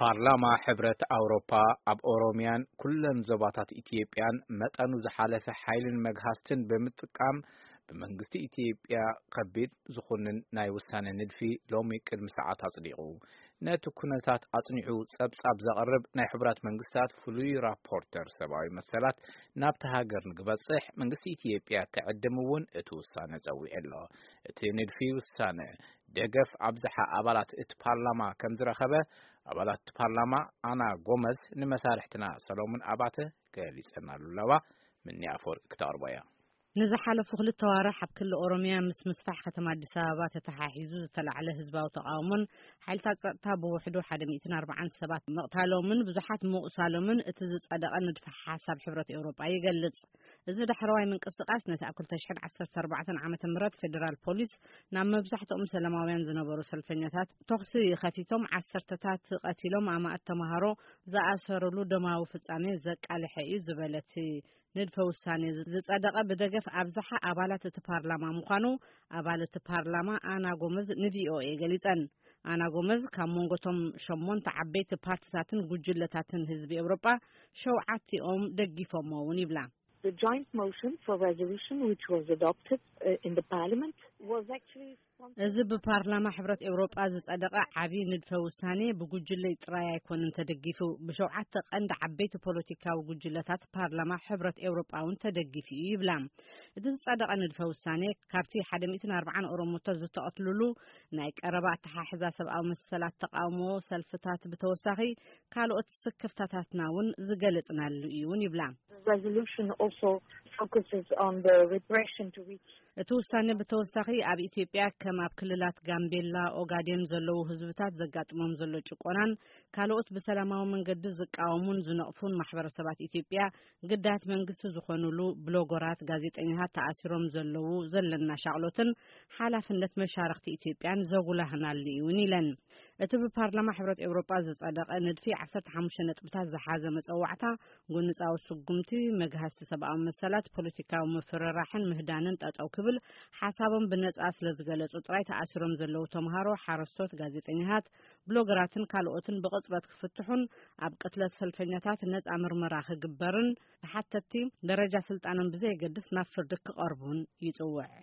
ፓርላማ ሕብረት ኣውሮፓ ኣብ ኦሮሚያን ኩለን ዞባታት ኢትዮጵያን መጠኑ ዝሓለፈ ሓይልን መግሃስትን ብምጥቃም ብመንግስቲ ኢትዮጵያ ከቢድ ዝኹንን ናይ ውሳነ ንድፊ ሎሚ ቅድሚ ሰዓት ኣጽዲቑ። ነቲ ኩነታት ኣጽኒዑ ጸብጻብ ዘቕርብ ናይ ሕቡራት መንግስታት ፍሉይ ራፖርተር ሰብኣዊ መሰላት ናብቲ ሃገር ንክበጽሕ መንግስቲ ኢትዮጵያ ክዕድም እውን እቲ ውሳነ ጸዊዑ ኣሎ። እቲ ንድፊ ውሳነ ደገፍ ኣብዝሓ ኣባላት እቲ ፓርላማ ከም ዝረኸበ ኣባላት እቲ ፓርላማ ኣና ጎመዝ ንመሳርሕትና ሰሎሙን ኣባተ ገሊጸናሉ ኣለዋ። ምኒ ኣፈወርቂ ክተቕርቦ እያ። ንዝሓለፉ ክልተ ዋርሕ ኣብ ክልል ኦሮሚያ ምስ ምስፋሕ ከተማ ኣዲስ ኣበባ ተተሓሒዙ ዝተላዕለ ህዝባዊ ተቓውሞን ሓይልታት ጸጥታ ብውሕዱ ሓደ ሚእትን ኣርባዓን ሰባት ምቕታሎምን ብዙሓት ምቑሳሎምን እቲ ዝጸደቐ ንድፈ ሓሳብ ሕብረት ኤውሮጳ ይገልጽ። እዚ ዳሕረዋይ ምንቅስቓስ ነቲ ኣብ ክልተ ሽሕን ዓሰርተ ኣርባዕተን ዓመተ ምህረት ፌደራል ፖሊስ ናብ መብዛሕትኦም ሰላማውያን ዝነበሩ ሰልፈኛታት ተኹሲ ከፊቶም ዓሰርተታት ቀቲሎም ኣማእት ተምሃሮ ዝኣሰሩሉ ደማዊ ፍጻሜ ዘቃልሐ እዩ ዝበለ እቲ ንድፈ ውሳኔ ዝጸደቐ ብደገፍ ኣብዝሓ ኣባላት እቲ ፓርላማ ምዃኑ ኣባል እቲ ፓርላማ ኣና ጎመዝ ንቪኦኤ ገሊጸን። ኣና ጎመዝ ካብ መንጎቶም ሸሞንተ ዓበይቲ ፓርቲታትን ጉጅለታትን ህዝቢ ኤውሮጳ ሸውዓቲኦም ደጊፎሞ እውን ይብላ። The joint motion for resolution which was adopted uh, in the parliament was actually sponsored እዚ ብፓርላማ ሕብረት ኤውሮጳ ዝጸደቐ ዓቢ ንድፈ ውሳኔ ብጉጅለይ ጥራይ ኣይኮነን ተደጊፉ፣ ብሸውዓተ ቀንዲ ዓበይቲ ፖለቲካዊ ጉጅለታት ፓርላማ ሕብረት ኤውሮጳ እውን ተደጊፉ እዩ ይብላ። እቲ ዝጸደቐ ንድፈ ውሳኔ ካብቲ ሓደ ሚእትን ኣርባዓን ኦሮሞታት ዝተቐትሉሉ ናይ ቀረባ ኣተሓሕዛ ሰብኣዊ መሰላት ተቓውሞ ሰልፍታት ብተወሳኺ ካልኦት ስክፍታታትና እውን ዝገለጽናሉ እዩ እውን ይብላ። The resolution also focuses on the repression to which እቲ ውሳኔ ብተወሳኺ ኣብ ኢትዮጵያ ከም ኣብ ክልላት ጋምቤላ፣ ኦጋዴን ዘለዉ ህዝብታት ዘጋጥሞም ዘሎ ጭቆናን ካልኦት ብሰላማዊ መንገዲ ዝቃወሙን ዝነቕፉን ማሕበረሰባት ኢትዮጵያ ግዳያት መንግስቲ ዝኾኑሉ ብሎጎራት፣ ጋዜጠኛታት ተኣሲሮም ዘለዉ ዘለና ሻቕሎትን ሓላፍነት መሻርኽቲ ኢትዮጵያን ዘጉላህናሉ እውን ኢለን። እቲ ብፓርላማ ሕብረት ኤውሮጳ ዝጸደቐ ንድፊ ዓሰርተ ሓሙሽተ ነጥብታት ዝሓዘ መጸዋዕታ ጎንጻዊ ስጉምቲ፣ መግሃስቲ ሰብኣዊ መሰላት፣ ፖለቲካዊ ምፍርራሕን ምህዳንን ጠጠው ክብል ሓሳቦም ብነጻ ስለ ዝገለጹ ጥራይ ተኣሲሮም ዘለዉ ተምሃሮ፣ ሓረስቶት፣ ጋዜጠኛታት፣ ብሎገራትን ካልኦትን ብቕጽበት ክፍትሑን ኣብ ቅትለት ሰልፈኛታት ነጻ ምርመራ ክግበርን ተሓተትቲ ደረጃ ስልጣኖም ብዘየገድስ ናብ ፍርዲ ክቐርቡን ይጽውዕ።